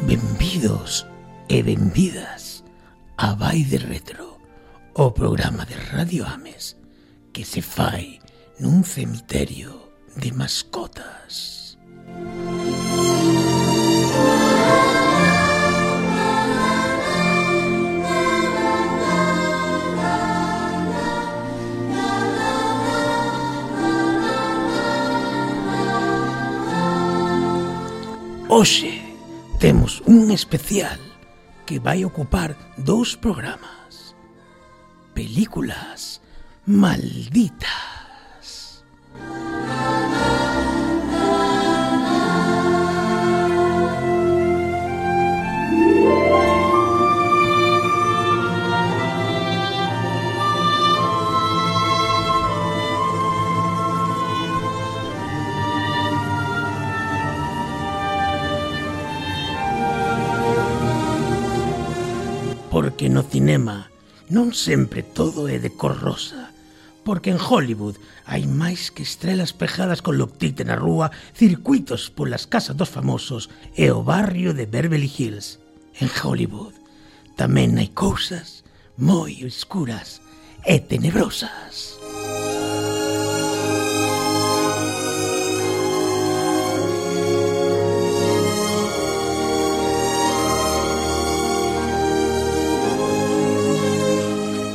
Benvidos e benvidas a Vai de Retro, o programa de Radio Ames que se fai nun cemiterio de mascotas. Hoxe temos un especial que vai ocupar 2 programas. Películas malditas. Porque no cinema non sempre todo é de cor rosa, porque en Hollywood hai máis que estrelas pegadas con loctite na rúa, circuitos polas casas dos famosos e o barrio de Beverly Hills. En Hollywood tamén hai cousas moi escuras e tenebrosas.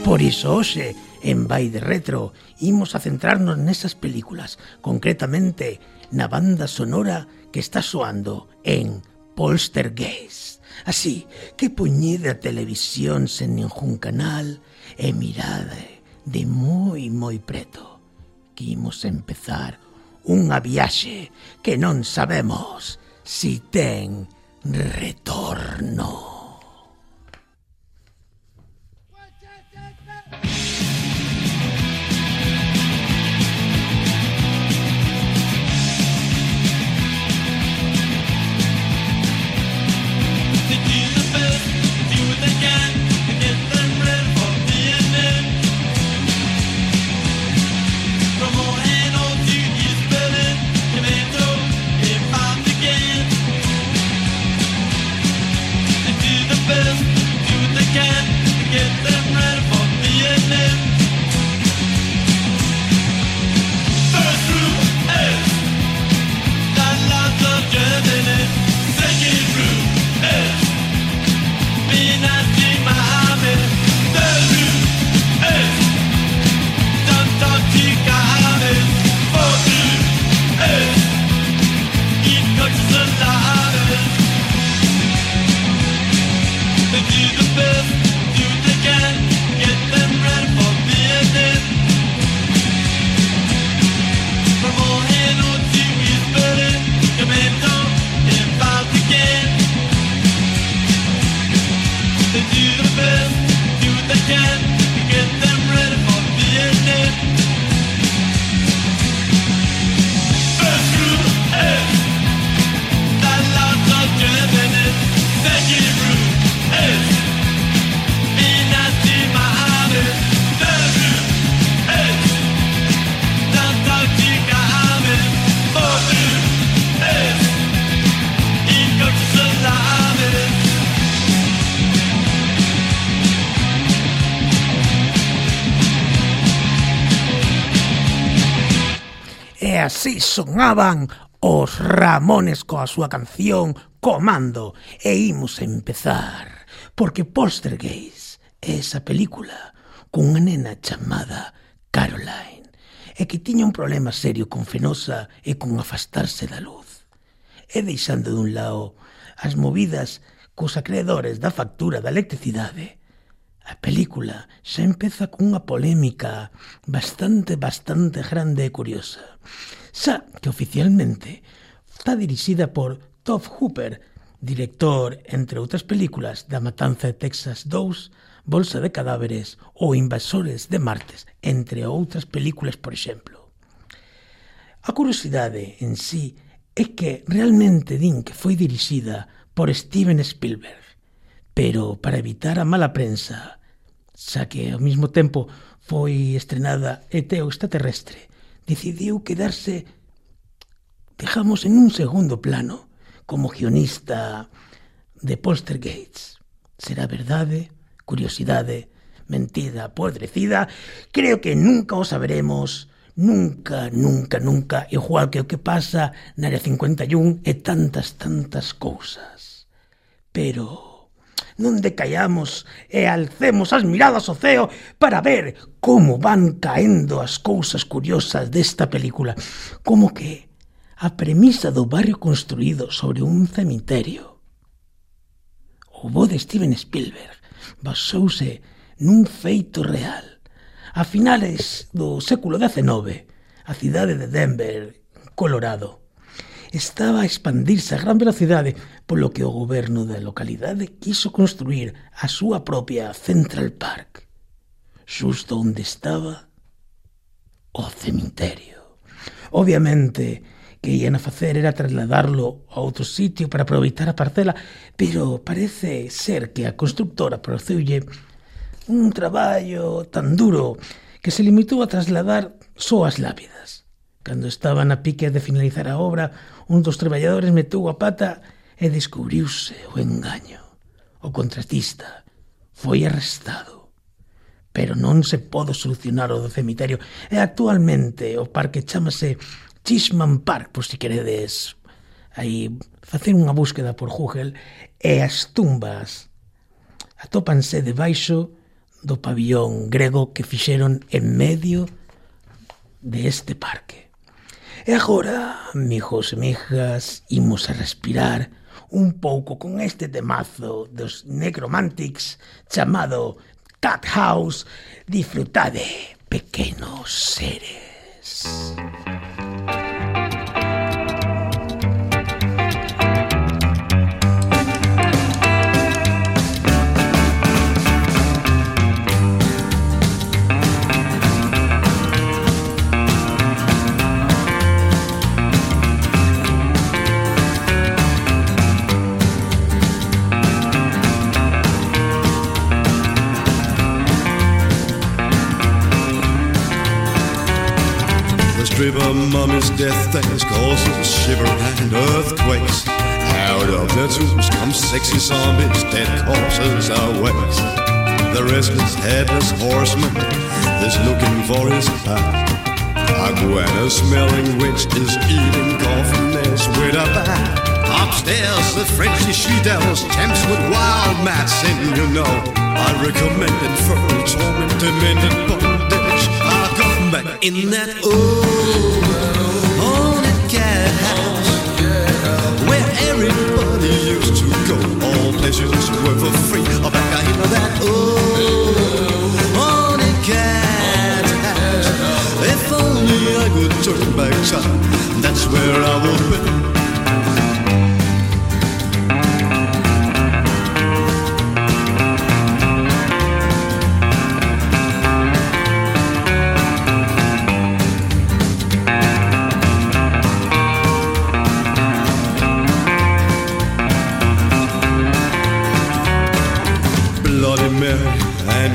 Por iso hoxe, en Vai de Retro, imos a centrarnos nesas películas, concretamente na banda sonora que está soando en Poltergeist. Así que poñede a televisión sen ningún canal e mirade de moi preto, que imos empezar unha viaxe que non sabemos si ten retorno. E así sonaban os Ramones coa súa canción Comando. E imos a empezar, porque Poltergeist é esa película cunha nena chamada Caroline e que tiña un problema serio con Fenosa e con afastarse da luz. E deixando dun lado as movidas cos acreedores da factura da electricidade, a película xa empeza cunha polémica bastante grande e curiosa. Xa que oficialmente está dirixida por Tobe Hooper, director, entre outras películas, da Matanza de Texas 2, Bolsa de cadáveres ou Invasores de Martes, entre outras películas, por exemplo. A curiosidade en sí é que realmente din que foi dirixida por Steven Spielberg, pero para evitar a mala prensa, xa que ao mesmo tempo foi estrenada ET o extraterrestre, decidiu quedarse, digamos, en un segundo plano, como guionista de Poltergeist. Será verdade, curiosidade, mentira, podrecida? Creo que nunca o saberemos, nunca, igual que o que pasa na Área 51 e tantas cousas. Pero non decaiamos e alcemos as miradas ao ceo para ver como van caendo as cousas curiosas desta película, como que a premisa do barrio construído sobre un cemiterio. O bo de Steven Spielberg basouse nun feito real. A finales do século XIX, a cidade de Denver, Colorado, estaba a expandirse a gran velocidade, polo que o goberno da localidade quiso construir a súa propia Central Park, xusto onde estaba o cemiterio. Obviamente, que ian a facer era trasladarlo a outro sitio para aproveitar a parcela, pero parece ser que a constructora pareceulle un traballo tan duro que se limitou a trasladar só as lápidas. Cando estaban a pique de finalizar a obra, un dos traballadores meteu a pata e descubriuse o engaño. O contratista foi arrestado, pero non se pode solucionar o do cemiterio, e actualmente o parque chámase Cheeseman Park, por si queredes aí facer unha búsqueda por Google, e as tumbas atópanse debaixo do pabillón grego que fixeron en medio de este parque. E agora, amigos e amigas, imos a respirar un pouco con este temazo dos Necromantics chamado Cat House. Disfrutade, pequenos seres. Stripper mummy's death things causes shiver and earthquakes. Out of their tombs come sexy zombies, dead corpses awakes. The restless headless horseman is looking for his path. A Gwen-smelling witch is eating coffin nails with a bat. Upstairs the Frenchy she-devils tempts with wild mats, and you know I recommend it for torment, demented bondage. I'll come back in that haunted cat house where everybody used to go. All pleasures were for free. I'll back in that haunted cat house. If only I could turn back time, that's where I will be.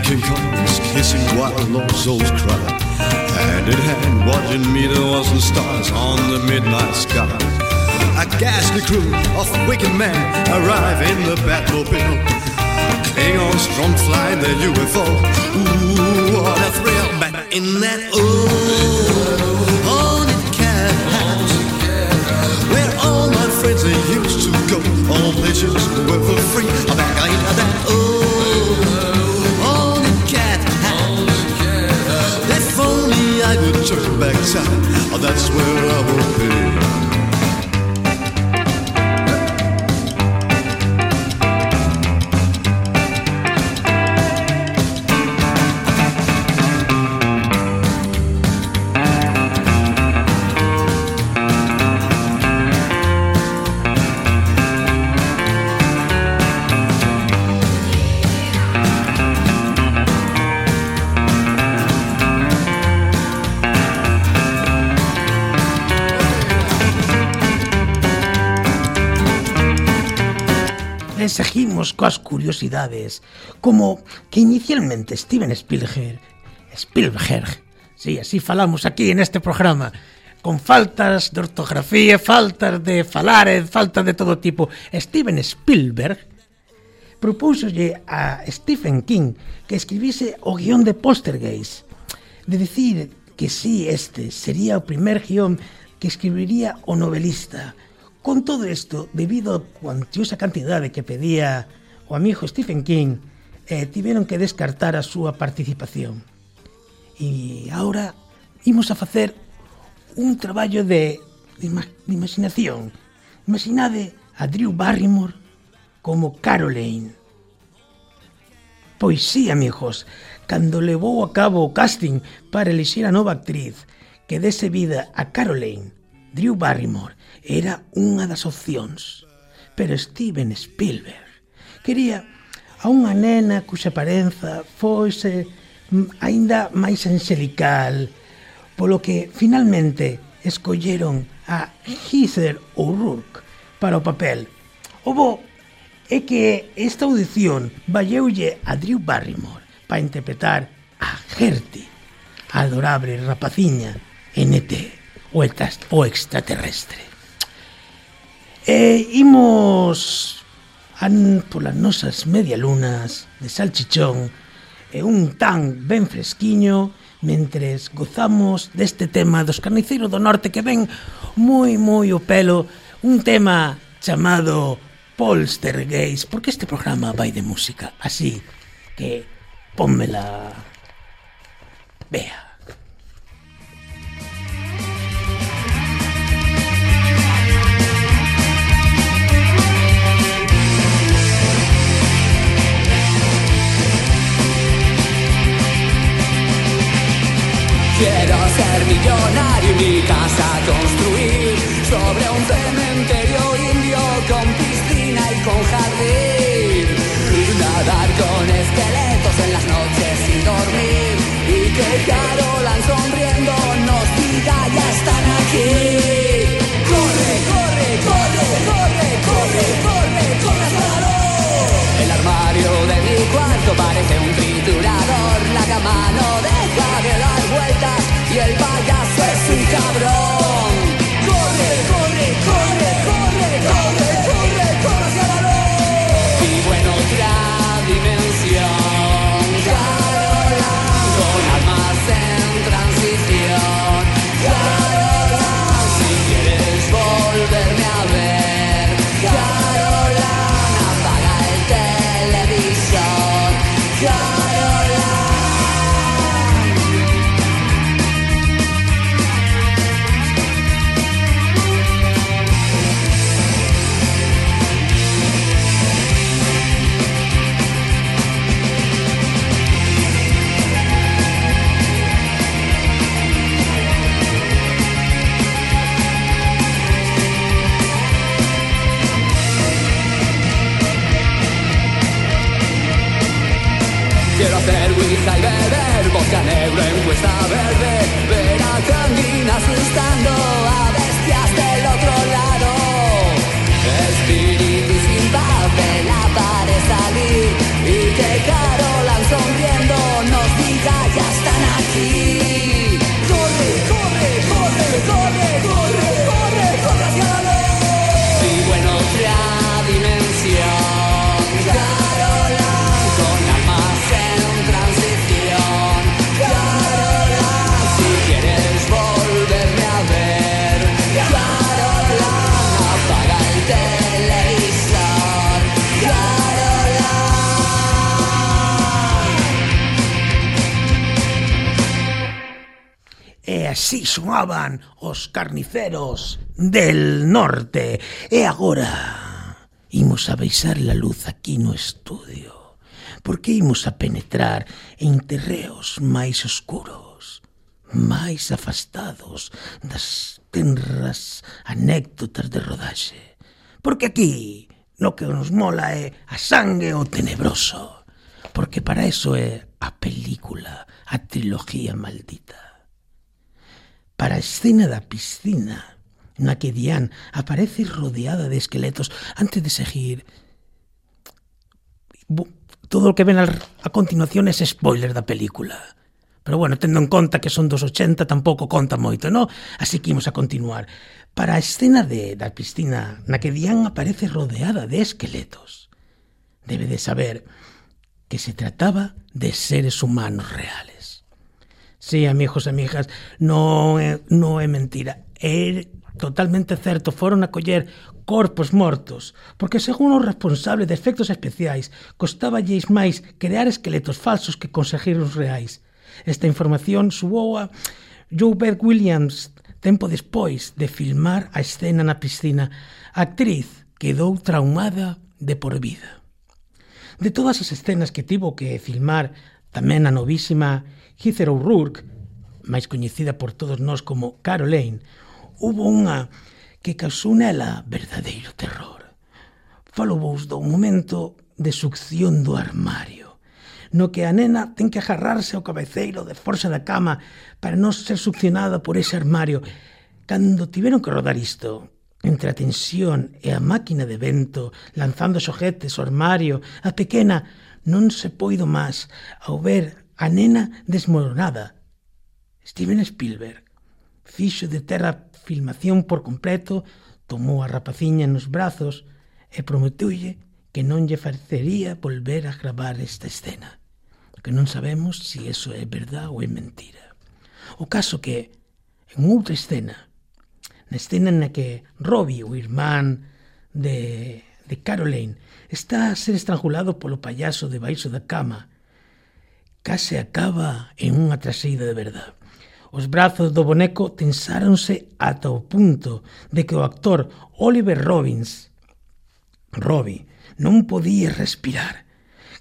King Kong's kissing while lost souls cry. Hand in hand, watching meteors and stars on the midnight sky. A ghastly crew of wicked men arrive in the Batmobile. Klingons drone fly their UFO. Ooh, what a thrill! Back in that haunted cat house where all my friends they used to go. All pleasures were for free. Back in that I would turn back time, oh, that's where I will be. Seguimos coas curiosidades, como que inicialmente Steven Spielberg, sí, así falamos aquí en este programa, con faltas de ortografía, faltas de falar, faltas de todo tipo. Steven Spielberg propúxolle a Stephen King que escribise o guión de Poltergeist, de dicir que si este sería o primer guión que escribiría o novelista. Con todo isto, debido a cuantiosa cantidade que pedía o amigo Stephen King, tiveron que descartar a súa participación. E agora imos a facer un traballo de imaginación. Imaginade a Drew Barrymore como Caroline. Pois sí, amigos, cando levou a cabo o casting para elixir a nova actriz que dese vida a Caroline, Drew Barrymore era unha das opcións. Pero Steven Spielberg quería a unha nena cuxa aparenza fose aínda máis angelical, polo que finalmente escolleron a Heather O'Rourke para o papel. O bo é que esta audición valleulle a Drew Barrymore para interpretar a Gertie, a adorable rapaciña en ET, o extraterrestre. Imos polas nosas medialunas de salchichón e un tan ben fresquiño mentres gozamos deste tema dos carniceiros do norte que ven moi o pelo, un tema chamado Poltergeist, porque este programa vai de música, así que pónmela. Vea. Quiero ser millonario y mi casa construir sobre un cementerio indio con piscina y con jardín. Nadar con esqueletos en las noches sin dormir y que Carolan sonriendo nos diga ya están aquí. Corre, corre, corre, corre, corre, corre, corre hacia la luz. El armario de mi cuarto parece un triturador, la cama no deja de dar vueltas y el payaso es un cabrón. Corre, corre, corre, corre, corre, corre, corre hacia la luz. Vivo en otra dimensión, Carolan, con almas en transición. Carolan, si quieres volverme a ver, Carolan, apaga el televisor. Carolan. Quiero hacer ouija y beber vodka negro en Cuesta Verde, ver a Candina asustando a bestias del otro lado. Espíritu sin paz de la pared salir y que Carolan sonriendo nos diga ya están aquí. Corre, corre, corre, corre, corre, corre, corre hacia la luz. Vivo en otra dimensión, Carolan, con almas en transición. Carolan, si quieres volverme a ver, Carolan, apaga el televisor. Carolan. E así soaban os carniceros del norte. E agora imos a baixar a luz aquí no estudio, porque imos a penetrar en terreos máis oscuros, máis afastados das tenras anécdotas de rodaxe. Porque aquí lo que nos mola é a sangue o tenebroso, porque para eso é a película, a trilogía maldita. Para a escena da piscina, na que Diane aparece rodeada de esqueletos antes de seguir. Todo o que ven a continuación é spoiler da película. Pero bueno, tendo en conta que son dos 80, tampouco conta moito, non? Así que imos a continuar. Para a escena da piscina, na que Diane aparece rodeada de esqueletos, debe de saber que se trataba de seres humanos reales. Sí, amigos e amigas, non é mentira. É totalmente certo, foron a coller corpos mortos, porque según o responsable de efectos especiais, costaballes máis crear esqueletos falsos que conseguir os reais. Esta información suou a Joe Beth Williams tempo despois de filmar a escena na piscina. A actriz quedou traumada de por vida. De todas as escenas que tivo que filmar tamén a novísima Heather O'Rourke, máis coñecida por todos nós como Caroline, hubo unha que causou nela verdadeiro terror. Falo vos do momento de succión do armario, no que a nena ten que agarrarse ao cabeceiro de forza da cama para non ser succionada por ese armario. Cando tiveron que rodar isto, entre a tensión e a máquina de vento, lanzando xoguetes ao armario, a pequena non se poido máis ao ver a nena desmoronada. Steven Spielberg fixo de terra filmación por completo, tomou a rapaciña nos brazos e prometeulle que non lle parecería volver a gravar esta escena, que non sabemos se iso é verdad ou é mentira. O caso que, en outra escena, na escena na que Robbie, o irmán de Caroline, está a ser estrangulado polo payaso debaixo da cama, case acaba en unha traseira de verdade. Os brazos do boneco tensáronse ata o punto de que o actor Oliver Robbie, non podía respirar.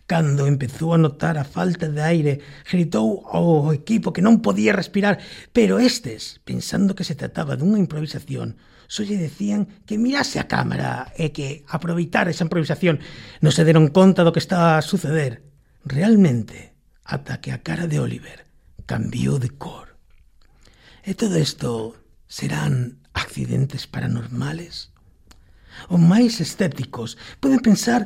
Cando empezou a notar a falta de aire, gritou ao equipo que non podía respirar, pero estes, pensando que se trataba dunha improvisación, só lle decían que mirase a cámara e que aproveitara esa improvisación. Non se deron conta do que estaba a suceder. Realmente, ata que a cara de Oliver cambiou de cor. E todo isto serán accidentes paranormales? Os máis escépticos poden pensar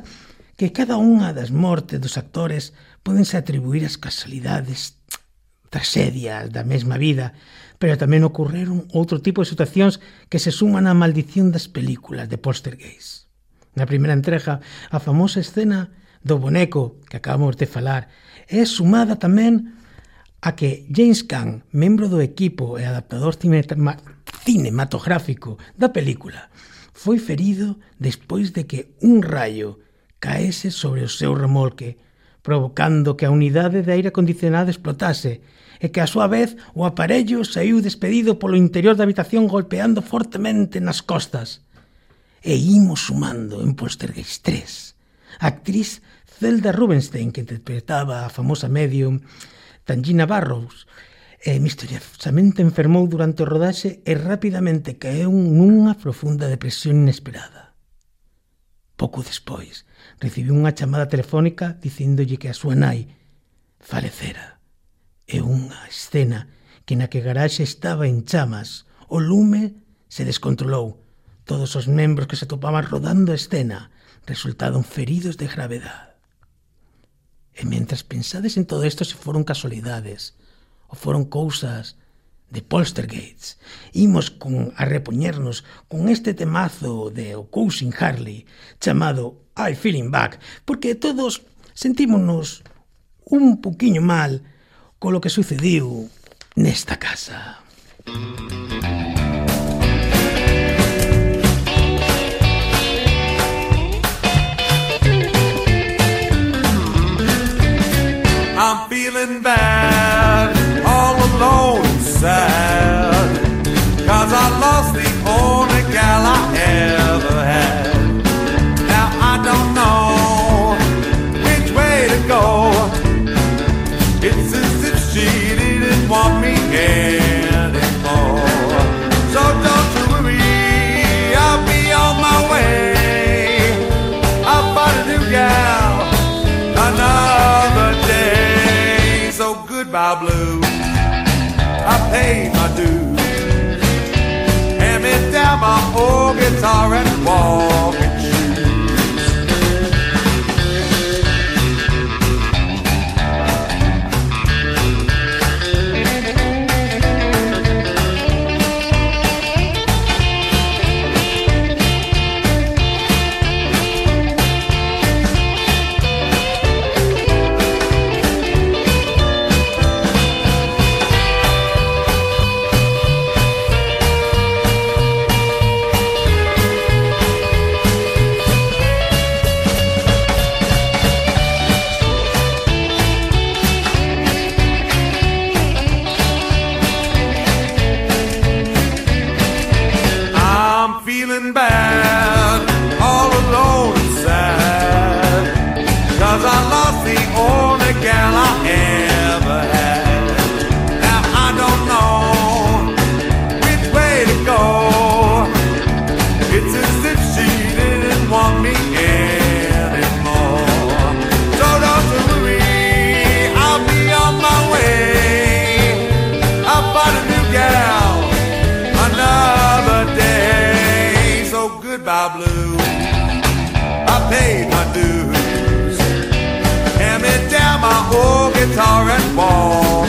que cada unha das mortes dos actores podense atribuir as casualidades, tragedias da mesma vida, pero tamén ocorreron outro tipo de situacións que se suman á maldición das películas de Poltergeist. Na primeira entrega, a famosa escena do boneco que acabamos de falar é sumada tamén a que James Caan, membro do equipo e adaptador cinematográfico da película, foi ferido despois de que un raio caese sobre o seu remolque, provocando que a unidade de aire acondicionado explotase e que a súa vez o aparello saiu despedido polo interior da habitación golpeando fortemente nas costas. E imos sumando en Poltergeist 3. A actriz Zelda Rubinstein, que interpretaba a famosa medium Tangina Barrows, misteriosamente enfermou durante o rodaxe e rapidamente caeu nunha profunda depresión inesperada. Pouco despois, recibiu unha chamada telefónica dicíndolle que a súa nai falecera. É unha escena que na que a garaxe estaba en chamas, o lume se descontrolou. Todos os membros que se topaban rodando a escena resultaron feridos de gravedade. E mentras pensades en todo isto, se foron casualidades ou foron cousas de Poltergeist, imos a repoñernos con este temazo de O Cousin Harley chamado I Feeling Back, porque todos sentímonos un poquinho mal con lo que sucediu nesta casa. I'm feeling bad, all alone and sad, 'cause I lost the only gal I ever had. Now I don't know which way to go. It's as if she didn't want me anymore. So don't you worry, I'll be on my way. I'll find a new gal another day. So goodbye blue, I paid my dues. Hand me down my old guitar and walking shoes. blues. Hand me down my old guitar and walk.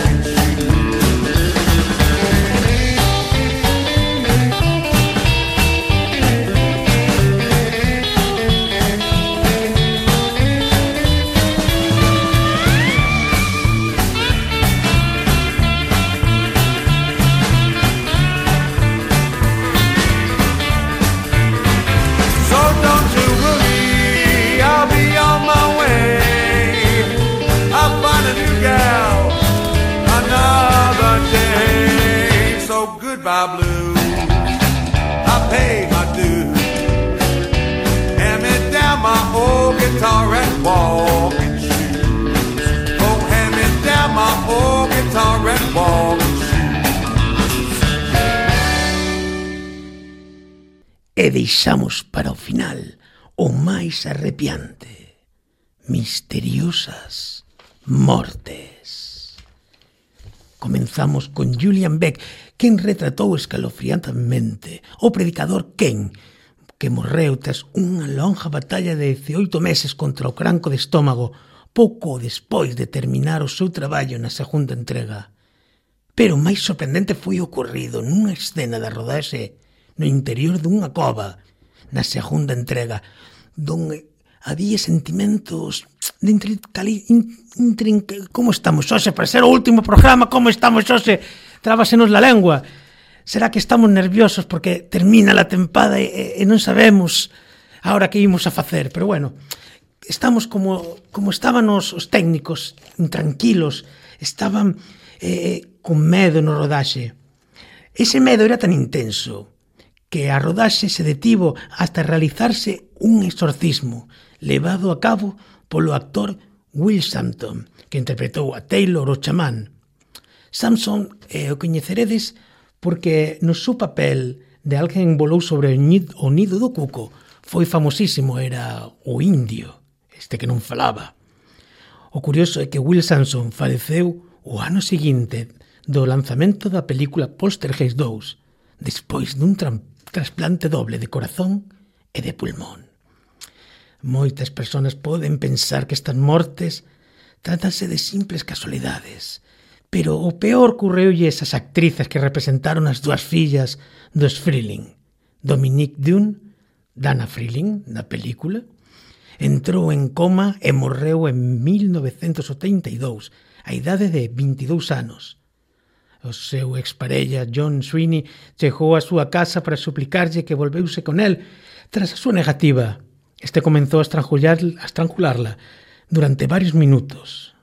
Goodbye blues, I paid my dues. Hand me down my old guitar and walking shoes. Oh, hand me down my old guitar and walking shoes. E deixamos para o final o máis arrepiante: misteriosas mortes. Comenzamos con Julian Beck, quen retratou escalofriantemente o predicador Ken, que morreu tras unha longa batalla de 18 meses contra o cancro de estómago pouco despois de terminar o seu traballo na segunda entrega. Pero o máis sorprendente foi ocorrido nunha escena da rodaxe no interior dunha cova na segunda entrega, donde había sentimentos de como estamos hoxe para ser o último programa, como estamos hoxe, trábasenos la lengua. Será que estamos nerviosos porque termina a tempada e non sabemos ahora que imos a facer? Pero bueno, estamos como estaban os técnicos, intranquilos, estaban con medo no rodaxe. Ese medo era tan intenso que a rodaxe se detivo hasta realizarse un exorcismo levado a cabo polo actor Will Sampson, que interpretou a Taylor o chamán. Sampson o coñeceredes porque no seu papel de alguén volou sobre o nido do cuco foi famosísimo, era o indio, este que non falaba. O curioso é que Will Sampson faleceu o ano seguinte do lanzamento da película Poltergeist 2, despois dun trasplante doble de corazón e de pulmón. Moitas persoas poden pensar que estas mortes trátanse de simples casualidades, pero o peor ocurreulle esas actrices que representaron as dúas fillas dos Freeling. Dominique Dunne, Dana Freeling, na película, entrou en coma e morreu en 1982, a idade de 22 anos. O seu exparella John Sweeney chegou á súa casa para suplicarlle que volveuse con el. Tras a súa negativa, este comenzou a estrangularla durante varios minutos.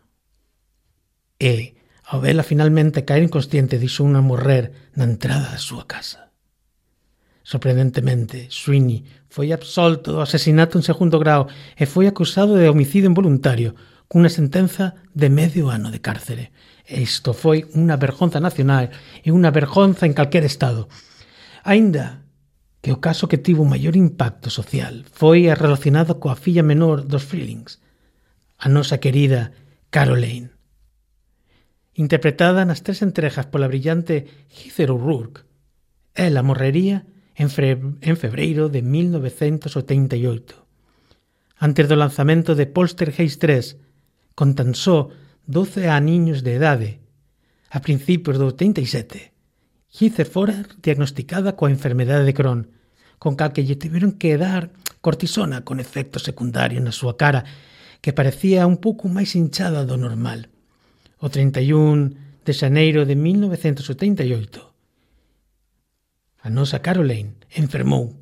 E, ao vela finalmente caer inconsciente, deixouna morrer na entrada da súa casa. Sorprendentemente, Sweeney foi absolto do asesinato en segundo grao e foi acusado de homicidio involuntario, cunha sentenza de medio ano de cárcere. Isto foi unha vergonza nacional e unha vergonza en calquer estado. Aínda que o caso que tivo maior impacto social foi relacionado coa filla menor dos Freelings, a nosa querida Caroline. Interpretada nas 3 entregas pola brillante Heather O'Rourke, ela morrería en febreiro de 1988. Antes do lanzamento de Poltergeist 3, con tan só 12 aniños de idade, a principios do 87, Heather fora diagnosticada coa enfermedade de Crohn, con cal que lle tiveron que dar cortisona con efectos secundarios na súa cara, que parecía un pouco máis hinchada do normal. O 31 de xaneiro de 1978, a nosa Caroline enfermou,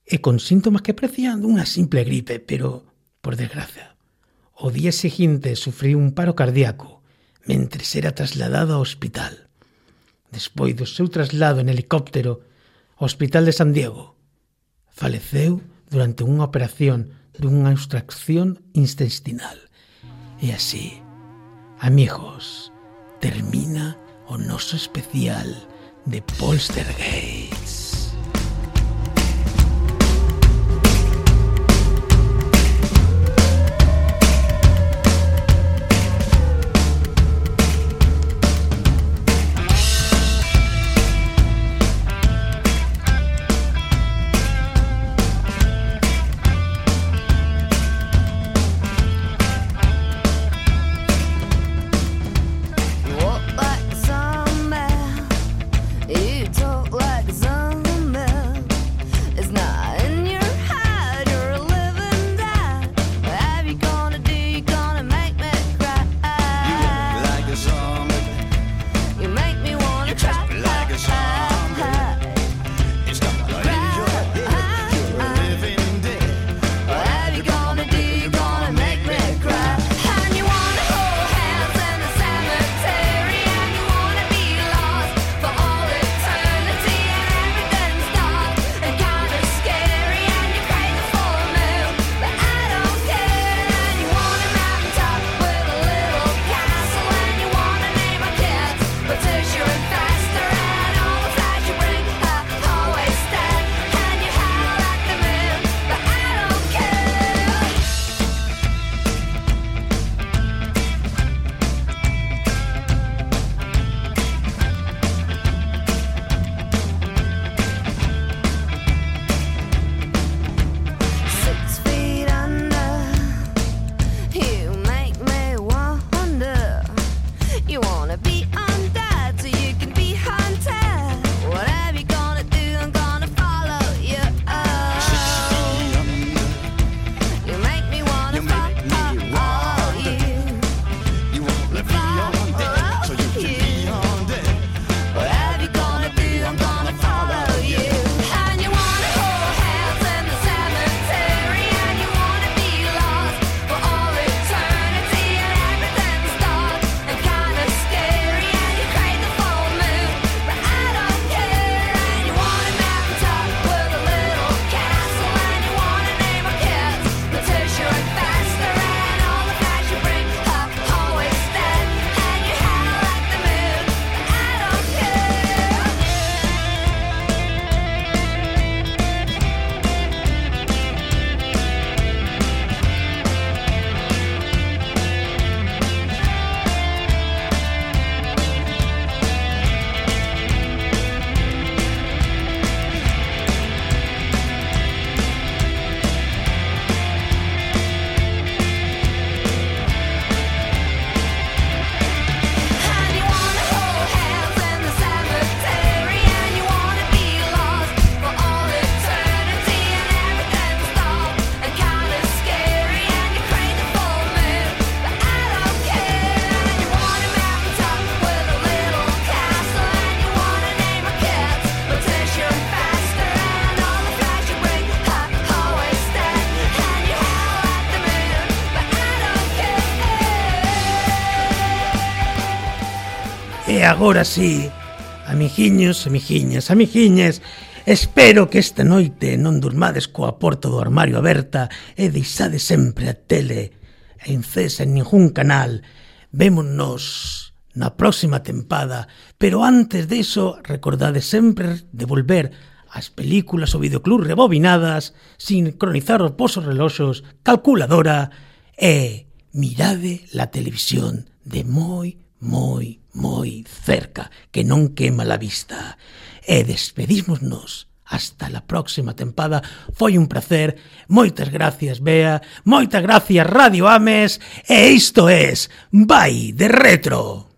e con síntomas que parecían unha simple gripe, pero, por desgracia, o día seguinte sufriu un paro cardíaco mentres era trasladado ao hospital. Despois do seu traslado en helicóptero ao Hospital de San Diego, faleceu durante unha operación dunha extracción intestinal. E así, amigos, termina o noso especial de Poltergeist. E agora sí, amiguiños, amiguiñas, espero que esta noite non durmades coa porta do armario aberta e deixades sempre a tele encesa en ningún canal. Vémonos na próxima tempada, pero antes diso, recordade sempre de volver as películas ou videoclub rebobinadas, sincronizar os vosos reloxos, calculadora e mirade la televisión de moi cerca, que non quema la vista. E despedímonos hasta la próxima tempada. Foi un placer. Moitas gracias, Bea. Moitas gracias, Radio Ames. E isto es Vai de Retro.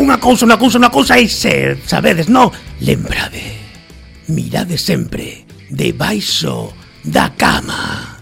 Unha cousa, e se sabedes, non? Lembrade, mirade sempre debaixo da cama.